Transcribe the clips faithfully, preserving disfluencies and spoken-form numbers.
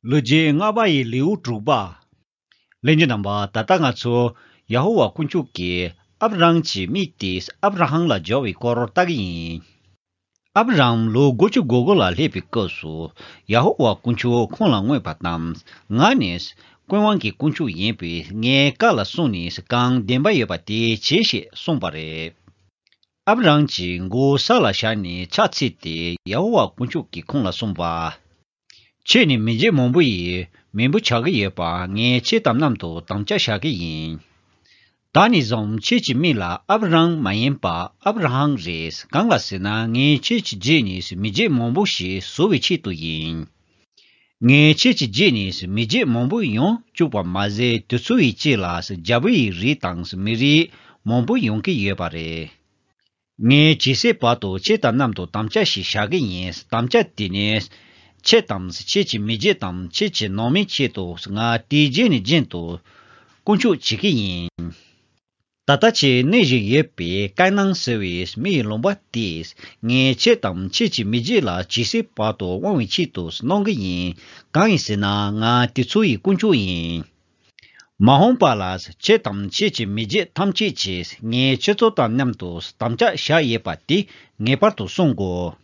ལོ་རྒྱུས་ལྔ་པ་ཡི་ལེའུ་དྲུག་པ། ལྷན་རྒྱས་རྣམ་པ། ད་ལྟ་ང་ཚོ་ཡ་ཧོ་ཝཱ་དཀོན་མཆོག་གིས་ཨབ་རམ་གྱི་མིང་དེ་ཨབ་ར་ཧམ་ལ་བསྒྱུར་བའི་སྐོར་ལྟ་གི་ཡིན། ཨབ་རམ་ལོ་དགུ་བཅུ་གོ་དགུ་ལ་སླེབས་པའི་སྐབས་སུ། ཡ་ཧོ་ཝཱ་དཀོན་མཆོག་ཁོང་ལ་མངོན་པ་དང་། ང་ནི་ཀུན་དབང་གི་དཀོན་མཆོག་ཡིན་པས། ངའི་བཀའ་ལ་སྲུང་ནས་གང་བདེན་པ་ཡོད་པ་དེ་བྱེད་ཞེས་གསུངས་པ་རེད། ཨབ་རམ་གྱིས་མགོ་བོ་ས་ལ་བཞག་ནས་ཕྱག་འཚལ་ཏེ། ཡ་ཧོ་ཝཱ་དཀོན་མཆོག་གིས་ཁོང་ལ་གསུངས་པ། ཁྱེད་ནི་མི་རྒྱུད་མང་པོ་ཡི་མེས་པོ་ཆགས་ཀྱི་ཡོད་པ། ངས་ཁྱེད་དང་མཉམ་དུ་དམ་བཅའ་བཞག་གི་ཡིན། ད་ནས་བཟུང་ཁྱེད་ཀྱི་མིང་ལ་ཨབ་རམ་མ་ཡིན་པར་ཨབ་ར་ཧམ་རེད། གང་ལ་ཟེར་ན། ངས་ཁྱེད་ཀྱི་རྗེས་ནས་མི་རྒྱུད་མང་པོ་ཞིག་བཟོ་བའི་ཆེད་དུ་ཡིན། ངས་ཁྱེད་ཀྱི་རྗེས་ནས་མི་རྒྱུད་མང་པོ་ཡོང་བཅུག་པ་མ་ཟད། དེ་ཚོ་ཡི་རྗེས་ལ་རྒྱལ་པོ་ཡི་རིགས་དང་མི་རིགས་མང་པོ་ཡོང་གི་ཡོད་པ་རེད། ངས་ཇི་སྲིད་བར་དུ་ཁྱེད་དང་མཉམ་དུ་དམ་བཅའ་ཞིག་བཞག་གི་ཡིན། དམ་བཅའ་དེ་ནི། ཁྱེད་དང་ཁྱེད་ཀྱི་མི་རྒྱུད་དང་ཁྱེད་ཀྱི་ནང་མིའི་ཆེད་དུ། ང་དེའི་རྗེས་ནས་རྒྱུན་དུ་དཀོན་མཆོག་བྱེད་ཀྱི་ཡིན། ད་ལྟ་ཁྱེད་གནས་བཞིན་ཡོད་པའི་ཀ་ནན་ཟེར་བའི་མི་ཡི་ལུང་པ་དེས། ངས་ཁྱེད་དང་ཁྱེད་ཀྱི་མི་རྒྱུད་ལ་ཇི་སྲིད་བར་དུ་དབང་བའི་ཆེད་དུ་གནང་གི་ཡིན། གང་ཡིན་ཟེར་ན། ང་དེ་ཚོ་ཡི་དཀོན་མཆོག་ཡིན། མ་འོངས་པ་ལ་ཁྱེད་དང་ཁྱེད་ཀྱི་མི་རྒྱུད་ཐམས་ཅད་ཀྱིས་ངས་ཁྱེད་ཚོ་དང་མཉམ་དུ་དམ་བཅའ་བཞག་ཡོད་པ་དེ་ངེས་པར་དུ་སྲུང་དགོས།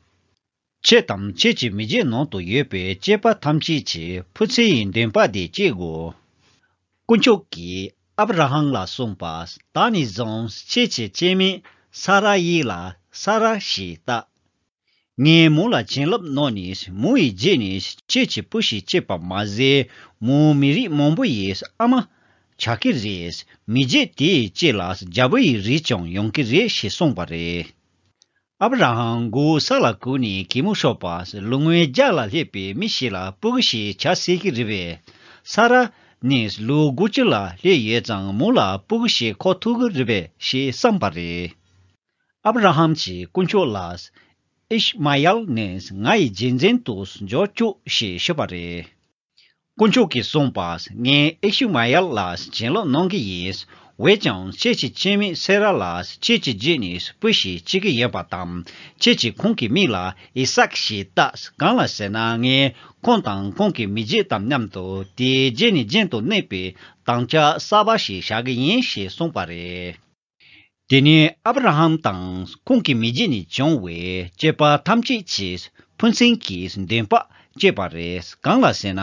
ཁྱེད་དང་ཁྱེད་ཀྱི་མི་རྒྱུད་ནང་དུ་ཡོད་པའི་སྐྱེས་པ་ཐམས་ཅད་ཀྱིས་བུ་ཚེ་ཡི་འདུན་པ་དེ་སྐྱེ་དགོས། དཀོན་མཆོག་གིས་ཨབ་ར་ཧམ་ལ་གསུངས་པ། ད་ནས་བཟུང་ཁྱེད་ཀྱི་སྐྱེ་དམན་ས་ར་ཡི་ལ་ས་ར་ཞེས་བཏགས། ངས་མོ་ལ་བྱིན་རླབས་གནང་ནས་མོ་ཡི་རྗེས་ནས་ཁྱེད་ཀྱི་བུ་ཞིག་སྐྱེས་པ་མ་ཟད། མོ་མི་རིགས་མང་པོ་ཡི་ཨ་མ་ཆགས་ཀྱི་རེད། མི་རྒྱུད་དེའི་རྗེས་ལ་རྒྱལ་པོ་ཡི་རིགས་ཀྱང་ཡོང་གི་རེད་ཞེས་གསུངས་པ་རེད། ཨབ་ར་ཧམ་མགོ་བོ་ས་ལ་གུག་ནས་གད་མོ་ཤོར་བ། ལོ་ངོ་བརྒྱ་ལ་སླེབས་པའི་མི་ཞིག་ལ་སྤུ་གུ་ཞིག་བྱ་སྲིད་ཀྱི་རེད་པས། ས་ར་ནི་ལོ་དགུ་བཅུ་ལ་སླེབས་ཡོད་ཙང་། མོ་ལ་སྤུ་གུ་ཞིག་འཁོར་ཐུབ་ཀྱི་རེད་པས་ཞེས་བསམས་པ་རེད། ཨབ་ར་ཧམ་གྱིས་དཀོན་མཆོག་ལ། ཨིཤ་མ་ཡལ་ནི་ང་ཡི་རྗེས་འཛིན་དུ་འཇོག་བཅུག་ཞེས་ཞུས་པ་རེད། དཀོན་མཆོག་གིས་གསུངས་པ། ངས་ཨིཤ་མ་ཡལ་ལ་བྱིན་རླབས་གནང་གི་ཡིན། འོན་ཀྱང་ཁྱེད་ཀྱི་སྐྱེ་དམན་སེ་ར་ལ་ཁྱེད་ཀྱི་རྗེས་ནས་བུ་ཞིག་སྐྱེ་གི་ཡོད་པ་དང་། ཁྱེད་ཀྱིས་ཁོང་གི་མིང་ལ་ཨི་སཱག་ཞེས་བཏགས། གང་ལ་ཟེར་ན། ངས་ཁོང་དང་ཁོང་གི་མི་རྒྱུད་དང་མཉམ་དུ་དེའི་རྗེས་ནས་རྒྱུན་དུ་གནས་པའི་དམ་བཅའ་གསར་པ་ཞིག་བཞག་གི་ཡིན་ཞེས་གསུངས་པ་རེད། དེ་ནས་ཨབ་ར་ཧམ་དང་ཁོང་གི་མི་རྒྱུད་ནས་བྱུང་བའི་སྐྱེས་པ་ཐམས་ཅད་ཀྱིས་ཕན་སེམས་ཀྱི་འདུན་པ་སྐྱེས་པ་རེད། གང་ལ་ཟེར་ན།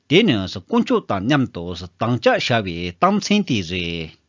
དེ་ནི་དཀོན་མཆོག་དང་མཉམ་དུ་དམ་བཅའ་བཞག་པའི་རྟགས་མཚན་དེ་རེད།